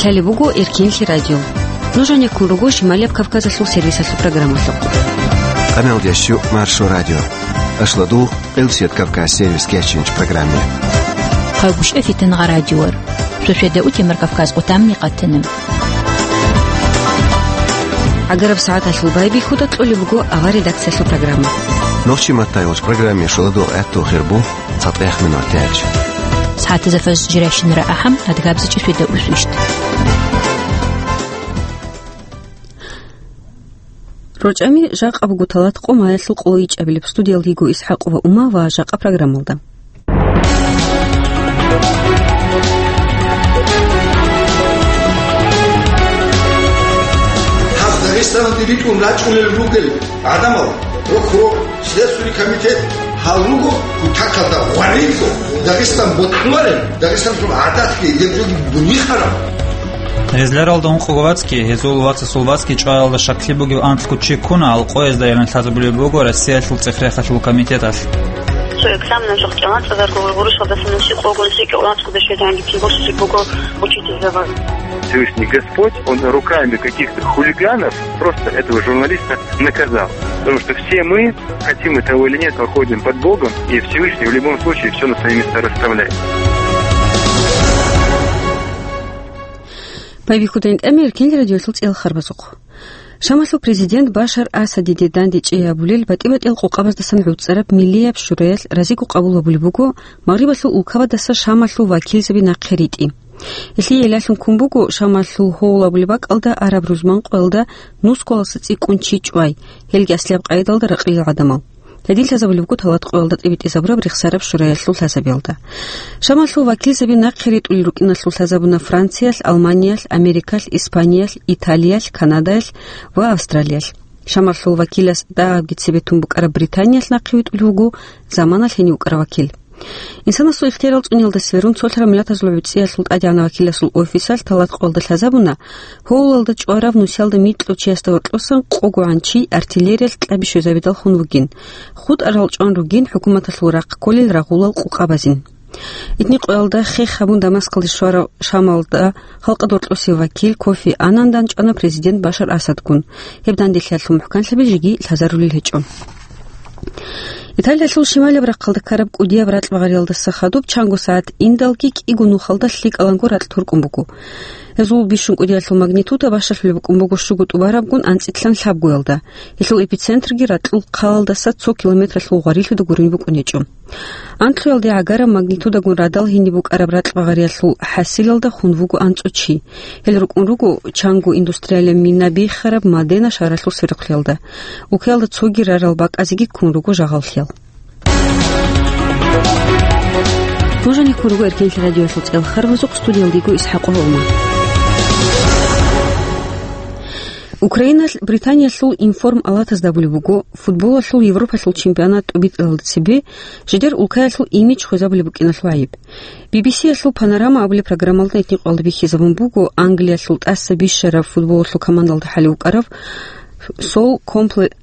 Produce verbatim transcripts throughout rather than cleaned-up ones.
Гьале буго Эркинлъи радио. Нуж гьанеккун руго Шималияб Кавказалъул сервисалъул программалъухъ. Къамелдещу Маршо радио. Ашладул Къилсият Кавказ сервис кечинч программе. Хъагушев Фитангъа радиор. Шошеда утемар Кавказ къутамни къатана. Агараб сагӀаталъул байбихьуда кьолеб буго авар редакциялъул программа. Нохчи маттайолч программе шуладул гӀатту хирбу. ЦатӀех минутач. СагӀатазда фаз жирайщинара ахӀам, адгабзичӀи шуйда усвищт. РочӀами жакъа буго талат къо маялъул къоло ичӀабилеб. Студиялда йиго ИсхӀакъова Ума ва жакъа программалда. Гьаб Дагъистаналде ритӀун рачӀунел ругел гӀадамал, прокурор, Следственный комитет гьал руго кутакалда гъварилго, Дагъистан бокьуларел, Дагъистаналъул гӀадатги гьеб жоги бунихараб. Гьезларалда ункъого вацги, гьезул вацасул вацги чӀваялда щаклъи бугеб анлъго чи ккуна, гьал къоязда яран лъазабулеб буго Россиялъул цӀех-рехалъул комитеталъ. Цо экзаменалъухъ кӀалъазарго гъурущалдаса нусико гъунсике унцгуда щведанги кин борщи буго учитель завал. Всевышний Господь, Он руками каких-то хулиганов просто этого журналиста наказал. Потому что все мы, хотим мы того или нет, мы ходим под Богом, и Всевышний в любом случае все на свои места расставляет. Байбихьудайн тӀамир кин радиолъул цӀел харбазухъ. Шамалъул президент Башар Асадиде дандечӀей абулел батӀи-батӀиял къокъабаздасан гӀуцӀараб Миллияб шураялъ разиго къабул гьабулеб буго Магърибалъул улкабадаса Шамалъул вакилзаби нахъе ритӀи. Гьелъие гӀиллалъун ккун буго Шамалъул гьовул абулеб бакӀалда араб рузман къоялда нусгоялдаса цӀикӀкӀун чи чӀвай, гьелги аслияб къайдалда ракълил гӀадамал. Гьедин лъазабулеб буго талат къоялда тӀибитӀизабураб рехсараб шураялъул лъазабиялда. Шамалъул вакилзаби нахъе ритӀулел рукӀиналъул лъазабуна Франциялъ, Алманиялъ, Америкалъ, Испаниялъ, Италиялъ, Канадаялъ ва Австралиялъ. Шамалъул вакилас дагьабги цебе тун букӀараб Британиялъ нахъе витӀулев вуго заманалъ гьенив вукӀарав вакил. Инсанасул ихтиярал цӀуниялда сверун цолъараб миллатазул гӀуцӀиялъул тӀадегӀанав вакиласул офисалъ талат къоялда лъазабуна, гьовлалда чӀварав нусиялда микьав чиясда гьоркьосан къогогӀан чи артиллериялъ кьаби щвезабидал хун вугин. ХутӀарал чӀван ругин хӀукуматалъул рахъ кколел рагъулал къукъабазин. Итни къоялда хех гьабун Дамаскалде щварав Шамалда халкъалда гьоркьосев вакил Кофи Аннандан чӀвана президент Башар Асадгун. Гьеб данделъиялъул мухӀканлъаби жеги лъазарулел гьечӀо. Италиялъул шималияб рахъалда ккараб кӀудияб ракь багъариялдаса хадуб чанго сагӀат индалги кӀиго нухалда лъикӀаланго ракь туркӀун буго. Гьезул бищун кӀудиялъул магнитуда бащалъулеб букӀун буго щуго тӀубарабгун анцӀилъан лъабгоялда. Гьелъул эпицентрги ракьул хъалалдаса цо километралъул гъварилъуда гурин букӀун гьечӀо. Анкьуялде гӀагараб магнитудагун радал гьениб букӀараб ракь багъариялъул хӀасилалда хун вуго анцӀу чи. Гьел рукӀун руго чанго индустриалияб мина биххараб Модена шагьаралъул сверухълъиялда. Улкаялда цоги рарал бакӀазеги ккун руго жагьаллъиял. Нуж гьанеккун руго Эркенлъи радиоялъул цӀел харбазухъ, студиялда йиго ИсхӀакъова Ума. Украиналъ Британиялъул Информ Алатазда абулеб буго, футболалъул Европалъул чемпионат тӀубитӀаралда цебе жидер улкаялъул имидж хвезабулеб букӀиналъул гӀайиб. Би-би-сиялъул «Панорама» абулеб программалда гьитӀинкъоялда бихьизабун буго Англиялъул тӀаса бищараб футболалъул командалда хӀалев вукӀарав Сол Компле-,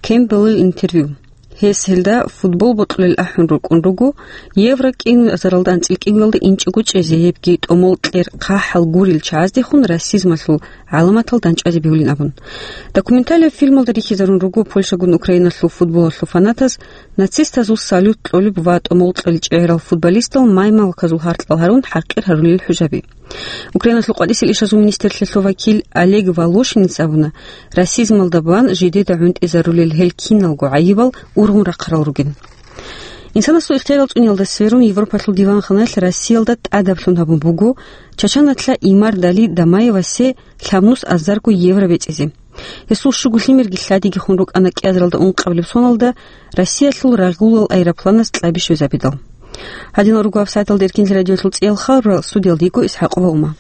Кемпбеллил интервью. Гьес гьелда футбол бокьулел ахӀун рукӀун руго, Евро кӀиазаралда анцӀил кӀигоялда инчӀого чӀезе, гьебги тӀомол кьер хъахӀал гурел чагӀаздехун расизмалъул гӀаламатал данчӀвазе бегьулин абун. Документалияб фильмалда рихьизарун руго Польшагун Украиналъул футболалъул фанатаз нацистазул салют кьолеб ва тӀомол кьолел чӀегӀерал футболистал маймалказул гьаркьал гьарун хӀакъир гьарулел хӀужаби. Украиналъул къватӀисел ишазул министрлъиялъул вакил Олег Волошинец абуна, расизмалда бан жидеда гӀунтӀизарулел гьел киналго гӀайибал ургъун рахъарал ругин. Инсанасул ихтиярал цӀуниялда сверун Европалъул диванханаялъ Россиялда тӀадаблъун гьабун буго Чачаналъа Имардали Дамаевасе лъабнус азарго евро бецӀизе. Гьесул щуго лъимерги лъадиги хун рукӀана кӀиазаралда ункъабилеб соналда Россиялъул рагъулал аэропланас кьаби щвезабидал. Гьадинал руго гьабсагӀаталда Эркинлъи радиоялъул цӀиял хабарал, студиялда йиго ИсхӀакъова Ума.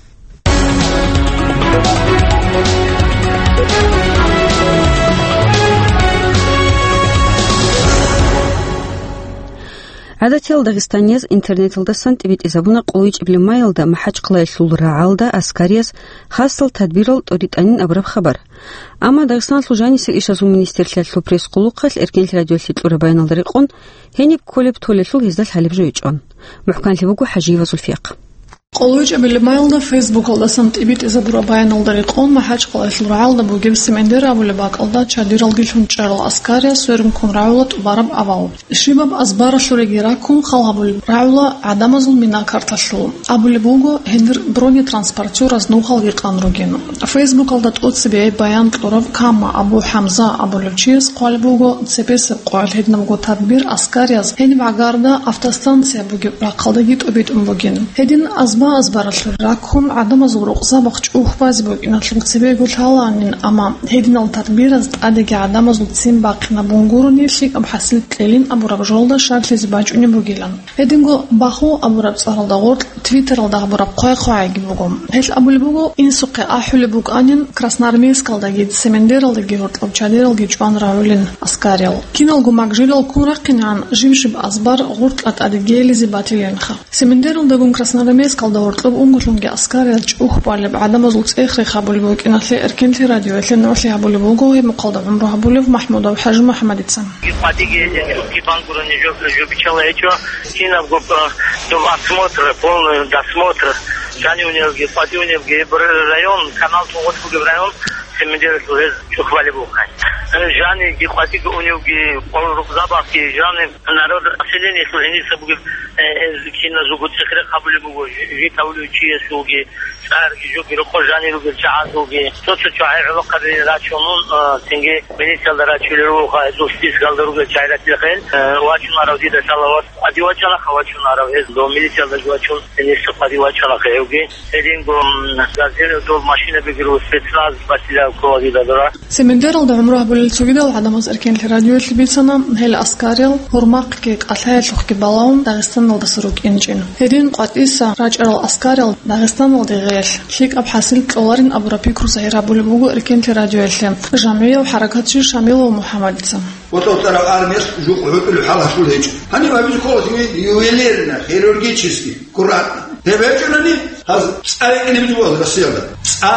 ГӀадатиял дагъистанияз интернеталдасан тӀибитӀизабуна къоло ичӀабилеб маялда МахӀачхъалаялъул рагӀалда аскарияз хасал тадбирал тӀоритӀанин абураб хабар. Амма Дагъистаналъул жанисел ишазул министрлъиялъул пресс-къулухъалъ Эркенлъи радиоялъе кьураб баяналда рекъон, гьениб кколеб толелъул гьезда лъалеб жо гьечӀо. МухӀканлъи буго ХӀажиева Зульфиякъ. КъолойчӀебилеб майилда Фейсбукалдасан тӀибитӀизабураб баяналда рекъон, МахӀачкъалаялъул рагӀалда бугеб Семендер абулеб бакӀалда чадиралги лъун чӀарал аскариялъ сверун ккун рагӀула тӀубараб авал. Щибаб азбаралъуреги раккун хал гьабулеб рагӀула гӀадамазул мина-карталъул. Абулеб буго, гьенир бронетранспортёраз нухалги къан ругин. Фейсбукалда тӀоцебе баян кьурав Кама Абу ХӀамза абулев чияс хъвалеб буго, цебесеб къоялъ гьединабго тадбир аскарияз гьениб гӀагарда автостанция бугеб рахъалдаги тӀобитӀун бугин. Гьедин азба-азбаралъур раккун гӀадамазул рукъзабахъ чӀухь базе букӀиналъул цебего лъалаанин, амма гьединал тадбираз тӀадеги гӀадамазул ццин бахъинабун гурони лъикӀаб хӀасил кьелин абураб жолда щаклъизе бачӀунеб бугилан. Гьединго Баху абураб цӀаралда гъоркь Твиттералда гьабураб хъвай-хъвагӀиги буго. Гьелъ абулеб буго, инсухъе ахӀулеб букӀанин Красноармейскалдаги Семендералдаги гьоркьоб чадиралги чӀван рагӀулин аскариял. Киналго магжилал ккун рахъинегӀан жиб-жиб азбар гъоркьа тӀаде гейлизе батилинха. Семендералдагун Красноармейскалда гьоркьоб унголъунги аскариял чӀухь балеб гӀадамазул цӀех-рех гьабулеб букӀиналъе Эркенлъи радиоялъе нугӀлъи гьабулеб буго гьеб мухъалда гӀумру гьабулев МахӀмудов ХӀажимухӀаммадица. КъватӀиги чӀухъги бан гурони жо-, жо биччала гьечӀо. Кинабго, э, доб осмотр, полный досмотр, жанивнелги, къватӀивнелги, бр-, район, канал цӀугъулъ бугеб район, Семендералъул гьез чӀухь балеб бухъан. Э, жаниги, къватӀиги уневги, къо-, рукъзабахъги, жаниб народ, населениелъул гьениса бугеб, э, гьез киназулго цӀех-рех гьабулеб буго, жи-, жи тавулев чиясулги, цӀарги, жоги, рокъор жанир ругел чагӀазулги, цо-цо чагӀи гӀолохъаби рачунун, а, цинги милициялда рачулел руго, гьезул спискалда ругел чагӀи ратила хъел, а, вачунарав дида лъала ва ади вачана, ха вачунарав гьез, дов милициялда вачун, гьениса къвади вачана хъевги. Гьединго, м, газир дов машина бигеру спецназ батила ккола дида дора. Семендералда гӀумру гьабулел цогидал гӀадамаз Эркенлъи радиоялъе бицана, гьел аскариял гьурмахъги кӀалъаялъухъги балагьун Дагъистаналдаса рукӀинчӀин. Гьедин къватӀиса рачӀарал аскариял Дагъистаналде гъеялъ лъикӀаб хӀасил кьоларин абураб пикру загьир гьабулеб буго Эркенлъи радиоялъе жамгӀияв хӀаракатчи Шамилов МухӀаммадица. ВатӀа-ватӀараб армиялъ жукъ гӀутӀулеб хӀал гьалъул гьечӀо. Гьаниб гьабизе ккола ювелирно, хирургически, аккуратно. Гьеб гьечӀони, гьаз цӀа рекӀине буго Россиялда. ЦӀа.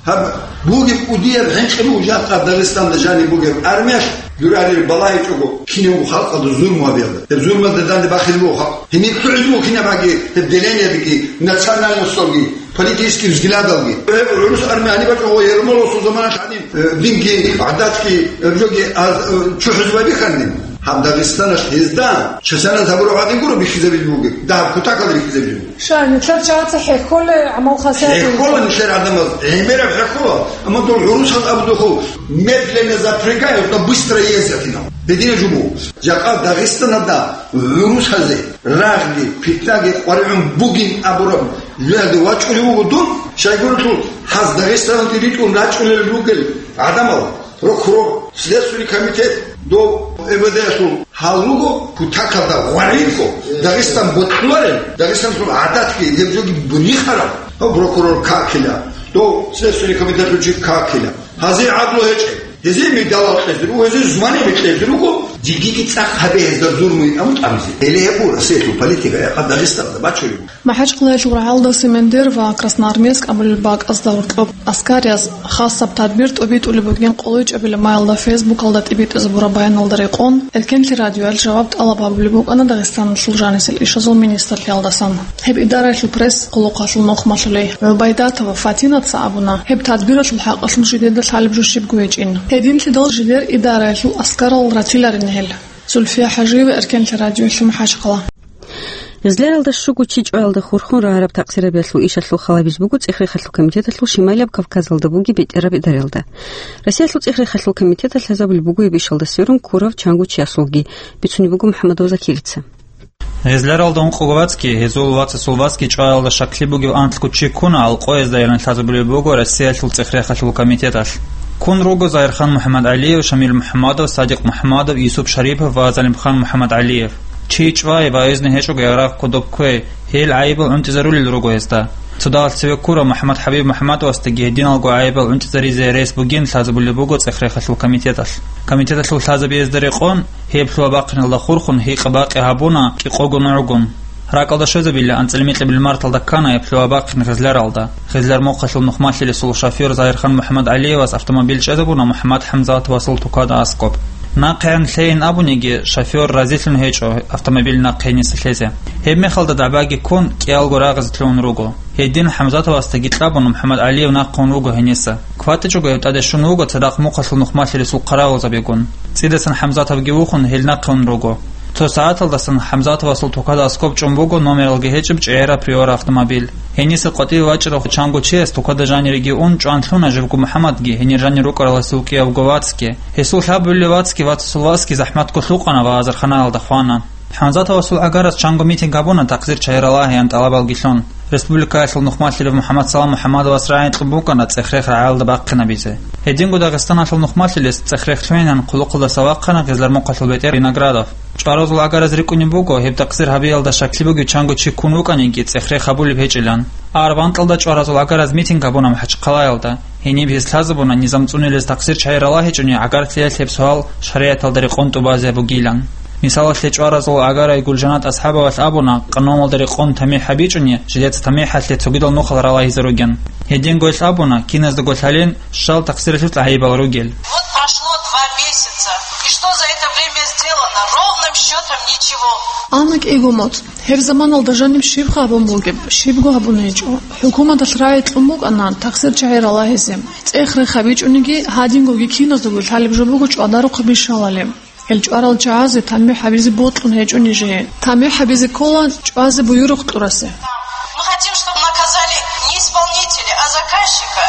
Гьаб бугеб кӀудияб хӀинкъи буго жакъа Дагъистанда жаниб бугеб армиялъ, дурари балагьичӀого кинабго халкъалда зулму гьабиялда. Гьеб зулмуялда данде бахизе буго халкъ. Гьениб лъугӀизе буго кинаб аги, гьеб делениядеги, национальносталги, политический взглядалги. Гьеб гӀурус армия гьаниб бачӀого Ермоловасул заманалъ гьаниб, э, динги, гӀадатги, гьеб жоги, а, э, чухӀизе байбихьанин. Гьаб Дагъистаналъ гьезда часаназ гьабураб гӀадин гуро бихьизабизе бугеб, дагьаб кутакалда бихьизабизе буго. Ша, нилъер чагӀаца хӀехьола гӀамал хасият. ХӀехьола нилъер гӀадамаз, гӀемераб хӀехьола, амма дол гӀурусаз абудухъ медленно запрягают, но быстро ездят инал. Гьедина жубу. Жакъа Дагъистаналда гӀурусазе рагъги, питнаги къваригӀун бугин абураб жоялде вачӀулев вуго дун, щайгурелъул гьаз Дагъистаналде ритӀун рачӀунел ругел гӀадамал. Прокурор, Следственный комитет, дов МВД-ялъул гьал руго, кутакалда гъваридго, Дагъистан бокьуларел, Дагъистаналъул гӀадатги гьеб жоги бунихарал, дов прокурор какила, дов Следственный комитетлъул чи какила. Гьазие гӀадлу гьечӀеб, гьезие медалал кьезе руго, гьезие звание кьезе руго, дигиги цӀакъ гьабе гьезда зулму гьабун тӀамизе. Гьеле гьеб буго Россиялъул политика, гьеб Дагъистаналда бачулеб. МахӀачкъалаялъул рагӀалда Семендер ва Красноармейск абулеб бакӀазда гьоркьоб аскарияз хасаб тадбир тӀобитӀулеб бугин къолойчӀебилеб майилда Фейсбукалда тӀибитӀизабураб баяналда рекъон, Эркенлъи радиоялъ жаваб тӀалаб гьабулеб букӀана Дагъистаналъул жанисел ишазул министрлъиялдасан. Гьеб идараялъул пресс-къулухъалъул нухмалъулей ГӀубайдатова Фатинаца абуна, гьеб тадбиралъул хӀакъалъулъ жидеда лъалеб жо щибго гьечӀин. Гьединлъидал жидер идараялъул аскарал ратиларин гьел. Зульфия ХӀажиева, Эркенлъи радиоялъ, МахӀачкъала. Гъезларалда щуго чи чӀваялда хурхун рагьараб такъсирабиялъул ишалъул хал гьабизе буго ЦӀехрехалъул комитеталъул Шималияб Кавказалда бугеб бетӀераб идараялда. Россиялъул ЦӀехрехалъул комитеталъ гьезабулеб буго гьеб ишалда сверун ккурав чанго чиясулги, бицунеб буго МухӀаммадов Закирица. Гъезларалда ункъого вацги, гьезул вацасул вацги чӀваялда щаклъи бугев анлъго чи ккуна, алкъоязда яран лъазабулеб буго Россиялъул ЦӀехрехалъул комитеталъ. Ккун руго Загьирхан МухӀаммадгӀалиев, Шамил МухӀаммадов, Садикъ МухӀаммадов, Юсуп Шарипов ва ЗалимханМухӀаммадгӀалиев. Чи чӀвай ва гьезни гьечӀого ягъараб кодоб кквей, гьел гӀайибал гӀунтӀизарулел руго гьезда. Цо дагьалъ цеве ккурав МухӀаммад ХӀабиб МухӀаммадовасдаги гьединалго гӀайибал гӀунтӀизаризе рес бугин лъазабулеб буго ЦӀехрехалъул комитеталъ. Комитеталъул лъазабиязда рекъон, гьеб лъугьа-бахъиналда хурхун гьикъа-бакъи гьабуна кӀикъого нугӀгун. РакӀалда щвезабила анцӀила микьабил марталда ккана гьеб лъугьа-бахъин гъезларалда. Гъезлар мухъалъул нухмалъилесул шофер Загьирхан МухӀаммадгӀалиевас автомобиль чӀезабуна МухӀаммад ХӀамзатовасул тукада аскӀоб. НахъегӀан лъейин абуниги, шофёр разилъун гьечӀо автомобиль нахъе гьениса лъезе. Гьеб мехалда дагӀбаги ккун, кӀиялго рагъизе лъугьун руго. Гьедин ХӀамзатовасдаги кьабун, МухӀаммад ГӀалиев нахъе ун вуго гьениса. КватӀичӀого гьев тӀаде щун вуго цадахъ мухъалъул нухмалъилесул хъаравулзабигун. ЦӀидасан ХӀамзатовги вухун, гьел нахъе ун руго. Цо сагӀаталдасан ХӀамзатовасул тукада аскӀоб чӀун буго номералги гьечӀеб чӀегӀераб Приора автомобиль. Гьениса къватӀиве вачӀарав чанго чияс тукада жаниреги ун чӀван лъуна живго МухӀаммадги гьенир жанир рукӀараласул кӀиявго вацги. Гьесул лъабабилев вацги вацасул васги захӀматго лъукъана ва азарханаялда хвана. ХӀамзатовасул гӀагараз чанго митинг гьабуна такъсир чагӀи ралагьеян тӀалабалги лъун. Республикаялъул нухмалъилев МухӀаммад Салам МухӀаммадовас рагӀи кьун букӀана цӀех-рех рагӀалда бахъинабизе. Гьединго Дагъистаналъул нухмалъилес цӀех-рех лъугьинан хъулухъалда савахъана гъезлар мухъалъул бетӀер Виноградов. ЧӀваразул гӀагараз рикӀкӀунеб буго, гьеб такъсир гьабиялда щаклъи бугев чанго чи ккун вукӀаниги, цӀех-рех гьабулеб гьечӀилан. Араб анкьалда чӀваразул гӀагараз митинг гьабуна МахӀачхъалаялда. Гьениб гьез лъазабуна, низам цӀунилез такъсир чагӀи ралагьичӀони, гӀагарлъиялъ гьеб суал шаригӀаталда рекъон тӀубазе бугилан. Мисалалъе, чӀваразул гӀагарай Гулжанат АсхӀабовалъ абуна, къануналда рекъон тамихӀ гьабичӀони, жидеца тамихӀалъе цогидал нухал ралагьизе ругин. Гьединго гьелъ абуна, киназдаго лъалин, щал такъсиралъул гӀайибал ругел. Вот прошло два месяца, и что за это время сделано? Ровным счётом ничего. Ана кӀиго моцӀ. Гьеб заманалда жаниб щиб гьабун бугеб, щибго гьабун гьечӀо. ХӀукуматалъ рагӀи кьун букӀана такъсир чагӀи ралагьизе. ЦӀех-рех гьабичӀониги, гьадингоги киназдаго лъалеб жо буго чӀвадарухъе бищалали. Гьел чӀварал чагӀазе тамихӀ гьабизе бокьун гьечӀо нижее. ТамихӀ гьабизе ккола чӀвазе буюрухъ кьурасе. Мы хотим, чтобы наказали не исполнителя, а заказчика.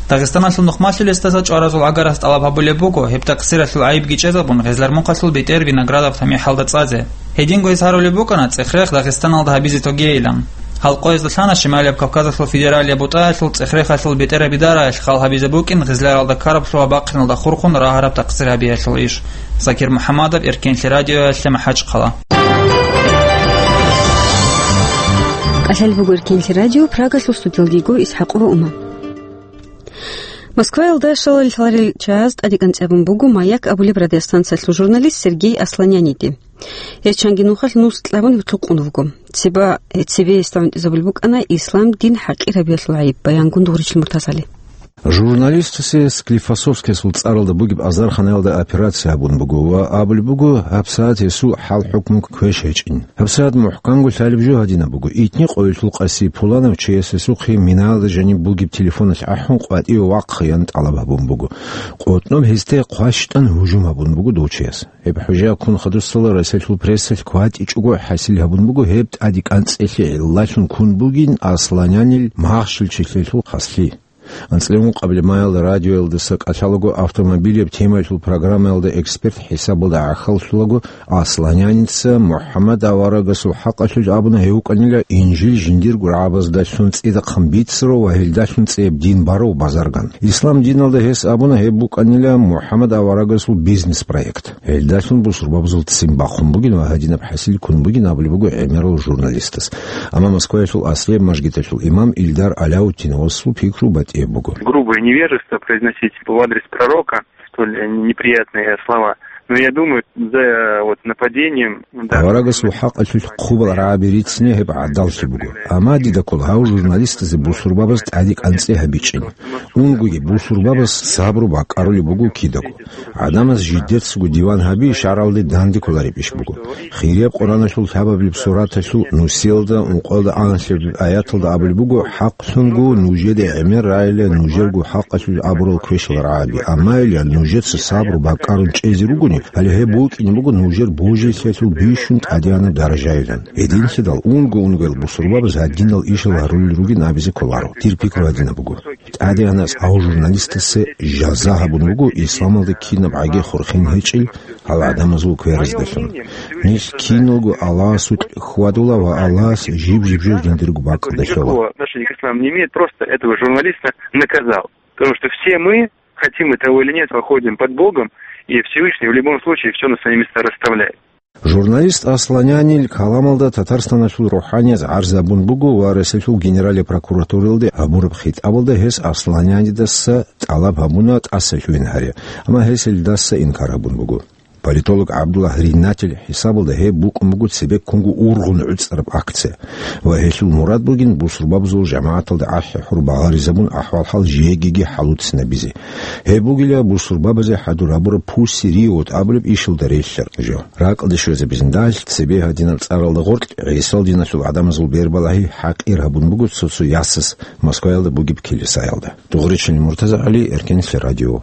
Дагъистаналъул нухмалъилесдаса чӀваразул гӀагарас тӀалаб гьабулеб буго, гьеб такъсиралъул гӀайибги чӀезабун, гъезлар мухъалъул бетӀер Виноградов тамихӀалда цӀазе. Гьединго гьез гьарулеб букӀана цӀех-рех Дагъистаналда гьабизе тогейилан. Гьал къоязда лъана Шималияб Кавказалъул федералияб бутӀаялъул цӀех-рехалъул бетӀераб идараялъ хал гьабизе букӀин гъезларалда ккараб лъугьа-бахъиналда хурхун рагьараб такъсир гьабиялъул иш. Закир МухӀаммадов, Эркенлъи радиоялъе, МахӀачхъала. КӀалъалеб буго Эркенлъи радио, Прагалъул студиялдего ИсхӀакъова Ума. Москваялда щалалъ лъаларел чагӀаз тӀадекӀанцӀабун буго «Маяк» абулеб радиостанциялъул журналист Сергей Асланяниде. Гьес чанги нухалъ нус кьабун гьоркьоб къун вуго. Цебе, цебе гьесда гӀунтӀизабулеб букӀана ислам дин хӀакъир гьабиялъул гӀайиб, баянгун Дугъричил Муртазали. Журналистасе Склифосовскиясул цӀаралда бугеб азарханаялда операция гьабун буго ва абулеб буго, гьабсагӀат гьесул хӀал-хӀукму квеш гьечӀин. ГьабсагӀат мухӀканго лъалеб жо гьадинаб буго: итни къоялъул къаси пуланав чияс гьесухъе минаялда жаниб бугеб телефоналъ ахӀун къватӀиве вахъаян тӀалаб гьабун буго. КъотӀноб гьесде хъващтӀан гьужум гьабун буго дов чияс. Гьеб хӀужа ккун хадусала Россиялъул прессалъ кватӀичӀого хӀасил гьабун буго гьеб тӀадекӀанцӀелъи гӀиллалъун ккун бугин Асланянил махщел чилъиялъул хаслъи. АнцӀила ункъабилеб майалда радиоялдаса кӀалъалаго автомобилеб темаялъул программаялда эксперт хӀисабалда гӀахьаллъулаго, Асланяница МухӀаммад аварагасул хӀакъалъулъ абуна гьев вукӀанила Инжил жиндирго рагӀабаздалъун цӀидахъан бицарав ва гьелдалъун цӀияб дин барав базарган. Ислам диналда гьес абуна гьеб букӀанила МухӀаммад аварагасул бизнес-проект. Гьелдалъун бусурбабазул ццин бахъун бугин ва гьадинаб хӀасил ккун бугин абулеб буго гӀемерал журналистас. Амма Москваялъул аслияб мажгиталъул имам Ильдар Аляутдиновасул пикру батӀияб буго. Грубое невежество произносить в адрес пророка столь неприятные слова. Но я думаю, за вот нападением, да. Аварагасул хӀакъалъулъ хъубал рагӀаби рицине гьеб гӀадаллъи буго. Амма дида ккола гьав журналистазе бусурбабаз тӀадекӀанцӀе гьабичӀин. Унгоги бусурбабаз сабру бакӀарулеб буго кидаго. ГӀадамаз жидерцаго диван гьаби шаргӀалде данде кколареб иш буго. Хирияб Къуръаналъул лъабабилеб сураталъул нусиялда ункъоялда анлъабилеб аяталда абулеб буго: «ХӀакълъунго нужеде гӀемер райила нужерго хӀакъалъулъ абурал квешал рагӀаби, амма илан нужеца сабру бакӀарун чӀезе ругони, гьале гьеб букӀине буго нужер божилъиялъул бищун тӀадегӀанаб даражайилан». Гьединлъидал унго-унгоял бусурбабаз гьадинал ишал гьарулел ругин абизе кколаро. Дир пикру гьадинаб буго. ТӀадегӀанас гьав журналистасе жаза гьабун буго исламалда кинаб гӀаги хурхин гьечӀел гьал гӀадамазул квераздалъун. Нилъ киналго Аллагьасукь хьвадула ва Аллагьас жиб-жиб жо жиндирго бакӀалда лъола. Никакого отношения к исламу не имеет, просто этого журналиста наказал. Потому что все мы, хотим мы того или нет, выходим под Богом, и Всевышний в любом случае всё на свои места расставляет. Журналист Асланянил каламалда Татарстаналъул рухӀаниязда гӀарз гьабун буго ва Россиялъул Генералияб прокуратуралде гьабураб хитӀабалда гьес Асланянидаса тӀалаб гьабуна тӀаса лъугьин гьаре, амма гьес гьелдаса инкар гьабун буго. Политолог ГӀабдуллагь Ринатил хӀисабалда гьеб букӀун буго цебеккунго ургъун гӀуцӀараб акция ва гьелъул мурад бугин бусурбабазул жамагӀаталда ахӀи-хӀур багъаризабун ахӀвал-хӀал жегиги хӀалуцинабизе. Гьеб бугила бусурбабазе хӀадур гьабураб пусси риот абулеб ишалда релълъараб жо. Ракьалде щвезабизин далъ цебе гьадинаб цӀаралда гъоркь ГӀисал диналъул гӀадамазул бербалагьи хӀакъир гьабун буго цо-цо ясас Москваялда бугеб килисаялда. Дугъричилин Муртазагьали, Эркенлъи радио.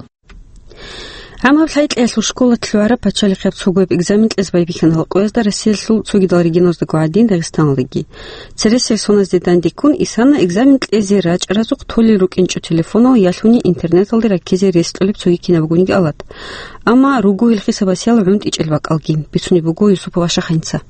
ГӀамаб лъай-кьеялъул школалъ лъугӀараб пачалихъияб цогояб экзамен кьезе байбихьана гьал къоязда Россиялъул цогидал регионаздаго гӀадин Дагъистаналдаги. Цересел соназде дандеккун исана экзамен кьезе рачӀаразухъ толел рукӀинчӀо телефонал ялъуни интернеталде раккизе рес кьолеб цоги кинабгониги алат. Амма руго гьел хисабасиял гӀунтӀичӀел бакӀалги, бицунеб буго Юсупов Ашаханца.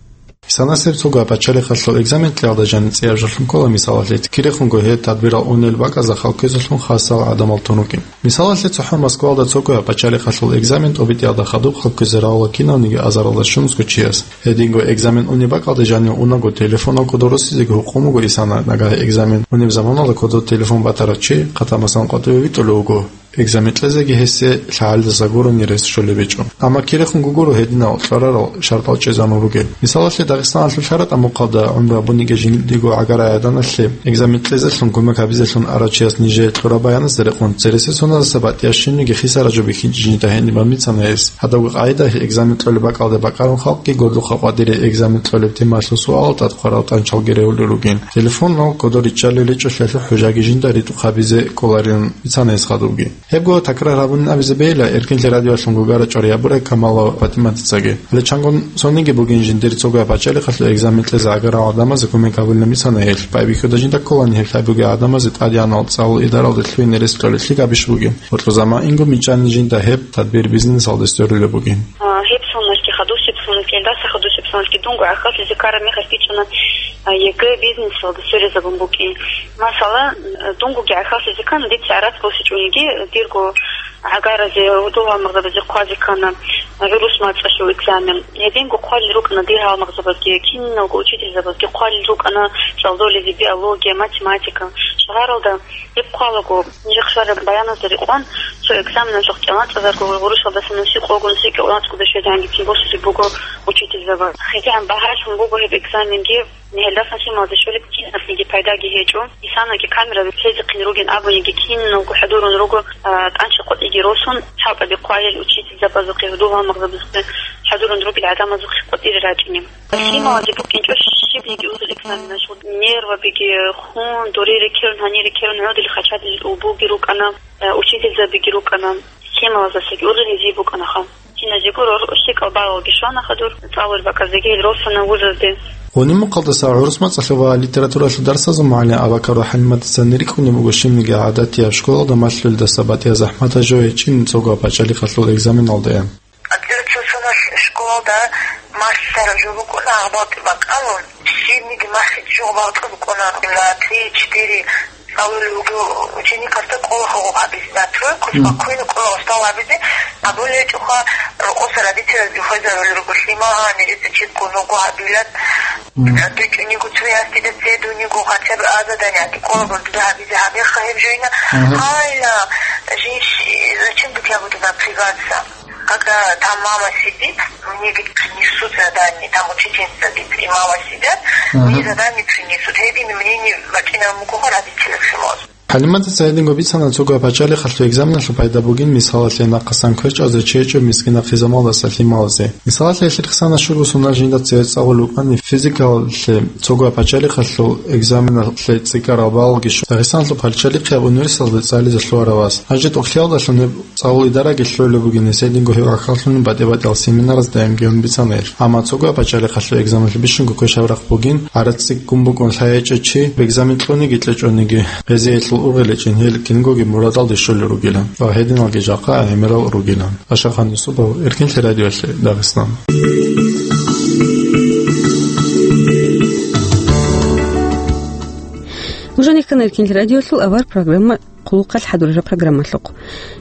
Исанасеб цогояб пачалихъалъул экзамен кьеялда жаниб цӀияб жолъун ккола, мисалалъе, кирехунго гьеб тадбирал унел бакӀазда халкъизелъун хасал гӀадамал тун рукӀин. Мисалалъе, цохӀо Москвалда цогояб пачалихъалъул экзамен тӀобитӀиялда хадуб халкъизе равала кинавниги азаралда щунусго чияс. Гьединго экзамен унеб бакӀалде жанив унаго телефонал кодор росизеги гьукъун буго исана, нагагь экзамен унеб заманалда кодор телефон батарав чи, хъатамасан къватӀиве витӀулев вуго. Экзамен кьезеги гьесие лъагӀалидаса гурони рес щолеб гьечӀо. Амма кирехунго гуро гьединал кьварарал шартӀал чӀезабун бугел. Мисалалъе, Дагъистаналъул лъараб тӀамухъалда гӀумру гьабуниги жиндиего гӀагарай гӀаданалъе экзамен кьезелъун кумек гьабизелъун арав чияс нижее кьураб баяназда рекъон, цересел соназаса батӀияб щибниги хисараб жо бихьинчӀеб жинда гьениб бицана гьес. Гьадабго къагӀида, экзамен кьолеб бакӀалде бакӀарун халкъги гурлухъа къватӀире экзамен кьолеб темаялъул суалал тӀад хъварал тӀанчалги регьулел ругин. Телефонал кодор риччалел речӀчӀолъиялъул хӀужаги жинда ритӀухъ гьабизе кӀоларилан бицана гьес хадубги. Гьебго такрар гьабунин абизе бейила Эркинлъи радиоялъун гугара чӀвариябурай Камалова ПатӀиматицаги. Гьале чангун цониги бугин жиндир цогояб пачалихъалъул экзамен кьезе гӀагарал гӀадамазе кумек гьабулин бицана гьелъ. Байбихьуда жинда кколани гьеб лъай бугей гӀадамазе тӀадегӀанал цӀалул идаралде лъугьине рес кьолеблъи габищ бугин. Бокьузаман инго мичӀани жинда гьеб тадбир бизнесалде сверулеб бугин. А, гьеб соналъги хадусеб соналъги, гьелдаса хадусеб соналъги дунго гӀахьаллъизе ккараб мехалъ бичӀчӀана, а, ЕГЭ бизнесалда сверизабун букӀин. Масала, дунго гӀахьаллъизе ккана, дица гӀарац босичӀониги, дирго гӀагаразе, гьудул-гьалмагъзабазе хъвазе ккана гӀурус мацӀалъул экзамен. Гьединго хъвалел рукӀана дир гьалмагъзабазги, киналго учительзабазги хъвалел рукӀана цӀалдолезе биология, математика. Шагьаралда гьеб хъвалаго, нижехъ щвараб баяназда рекъон, цо экзаменалъухъ кӀалъанцӀазарго гъурущалдаса нусикъого, нусикъого кӀалъанцӀго щвезегӀанги цин босулеб буго учительзаба. ХӀетигӀан багьалъун буго гьеб экзаменги. Гьелдасан лъималазе щолеб кинабниги пайдаги гьечӀо. Исанаги камера лъезехъин ругин абуниги, киналго хӀадурун руго, а, тӀанча къватӀиги росун, хӀалтӀаби хъвайил учительзабазухъе, гьудул-гьалмагъзабазухъе хӀадурун ругел гӀадамазухъе къватӀире рачӀине. Лъималазе букӀинчӀо щибниги узул экзаменалъул. Нервабиги хун, дуре рекерун, гьанир рекерун гӀодили хачадил убуги рукӀана, а, учительзабиги рукӀана. Лъималаздасаги ургъи гьезие букӀанаха. Киназего рор-, лъикӀал балалги щвана хадур, цӀалул бакӀазеги гьел росана вузазде. Гъуни-мухъалдаса гӀурус мацӀалъа ва литературалъул дарсазул мугӀалим Абакарова ХӀалиматица рикӀкӀунеб буго щибниги гӀадатияб школалда малъулдаса батӀияб захӀматаб жо гьечӀин цогояб пачалихъалъул экзаменалдаян. Литературалъул школалда малъараб жо букӀуна гьаб бакӀалун, щибниги малъи жо бакӀа букӀуна на три-четыре. Цалулев вуго ученикасда кӀолахъа гъоб гьабизе, на тройку спокойно кӀола устал гьабизе, абулеб гьечӀоха, рокъоса родителазги хвезарулел руго лъимал, гьанир дица четко нуго гьабилан. Мгм. ТӀучӀуниго цояс дида цедуниго, хотя бы а задание кӀолаго дуда гьабизе гьабеха гьеб жойна. Мгм. Гьайла, жинщи, зачем бы я буду напрягаться? Когда там мама сидит, мне ведь принесут задание, там учительница сидит и мама сидят, мне задание принесут. Гьедин мнение бачӀинаб буго родителясул. ХӀалиматица гьединго бицана цогояб пачалихъалъул экзаменалъул пайда бугин, мисалалъе, нахъасан квер чӀвазе чечӀеб мискинахъизамалдаса лъималазе. Мисалалъе, гьелъ рехсана щуго соналъ жинда цеве цӀалулев вукӀани физикалъе цогояб пачалихъалъул экзаменалъе цӀикӀкӀарал баллги щун, Дагъистаналъул пачалихъияб университеталде цӀализе лъугьарав вас. Гьанже тӀокӀлъиялдалъун гьеб цӀалул идараги лъугӀулеб бугин гьесие динго гьев гӀахьаллъунин батӀи-батӀиял семинараздаги гьанкӀун бицана гьелъ. Амма цогояб пачалихъалъул экзаменалъе бищунго квешаб рахъ бугин, гӀарац цӀикӀкӀун букӀун лъай гьечӀев чи, экзамен кьуниги кьечӀониги, гьезие гьелъул ургъел гьечӀин, гьел кингоги мурадалде щолел ругилан ва гьединалги жакъа гӀемерал ругилан. Ашахан Юсупов, Эркинлъи радиоялъе, Дагъистан. Нуж гьанир ккана Эркинлъи радиоялъул авар программа «Хъулухъалъ хӀадурараб» программалъухъ.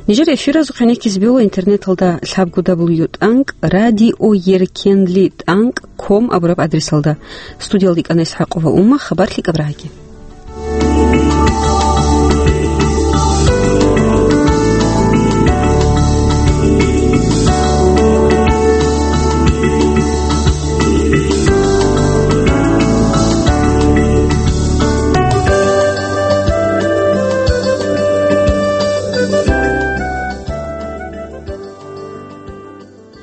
Нижер эфиразухъ гӀенеккизе бегьула интернеталда лъабго дабл ю тӀанкӀ радиоеркенли тӀанкӀ ком абураб адресалда. Студиялда йикӀана ИсхӀакъова Умма, хабар лъикӀаб рагӀаги.